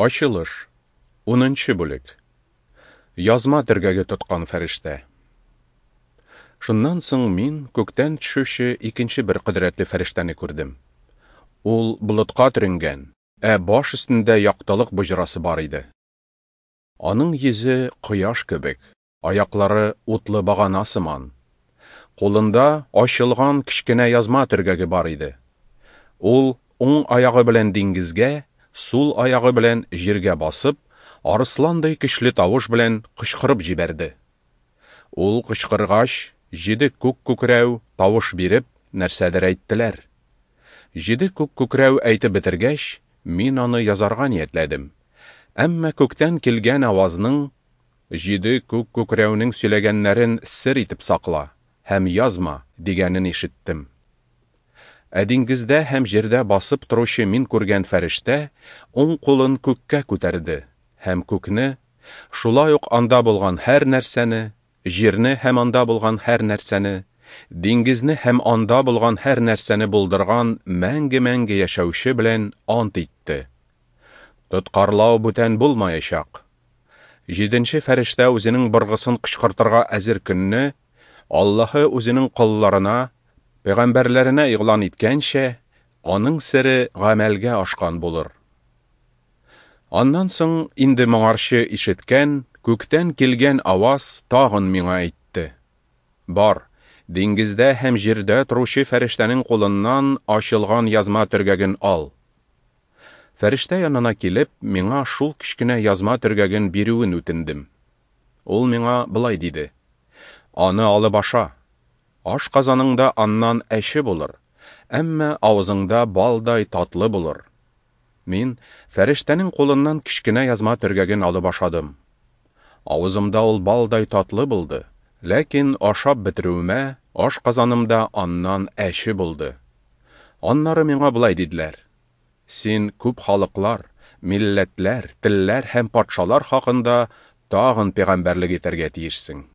Ачылыш, унынчы бүлек. Язма төргәге тоткан фәрештә. Шуннан соң мин күктән төшүче икенче бер кодрәтле фәрештәне күрдем. Ул болытка төренгән, ә баш өстендә яктылык боҗрасы бар иде. Аның йөзе кояш кебек, аяклары утлы багана сыман. Кулында ачылган кечкенә язма төргәге бар иде. Ул уң аягы белән диңгезгә, сул аягы белән җиргә басып, арысландай көчле тавыш белән кычкырып җибәрде. Ул кычкыргач, җиде күк күкрәү тавыш биреп, нәрсәдер әйттеләр. Җиде күк күкрәү әйтеп бетергәч, мин аны язарга ниятләдем. Әмма күктән килгән авазның, Җиде күк күкрәүнең сөйләгәннәрен сер итеп сакла һәм язма, дигәнен ишеттем. Ә диңгездә һәм җирдә басып торучы мин күргән фәрештә уң кулын күккә күтәрде һәм күкне, шулай ук анда булган һәр нәрсәне, җирне һәм анда булган һәр нәрсәне, диңгезне һәм анда булган һәр нәрсәне булдырган мәңге-мәңге яшәүче белән ант итте. Тоткарлау бүтән булмаячак. Җиденче фәрештә үзенең быргысын кычкыртырга әзер көнне Аллаһы үзенең колларына, пәйгамбәрләренә игълан иткәнчә, аның сере гамәлгә ашкан булыр. Аннан соң инде моңарчы ишеткән, күктән килгән аваз тагын миңа әйтте: Бар, диңгездә һәм җирдә торучы фәрештәнең кулыннан ачылган язма төргәген ал. Фәрештә янына килеп, миңа шул кечкенә язма төргәген бирүен үтендем. Ул миңа болай диде: Аны алып аша. Ашказаныңда аннан әче булыр, әмма авызыңда балдай татлы булыр. Мин фәрештәнең кулыннан кечкенә язма төргәген алып ашадым. Авызымда ул балдай татлы булды, ләкин ашап бетерүемә ашказанымда аннан әче булды. Аннары миңа болай диделәр: Син күп халыклар, милләтләр, телләр һәм патшалар хакында тагын пәйгамбәрлек итәргә тиешсең.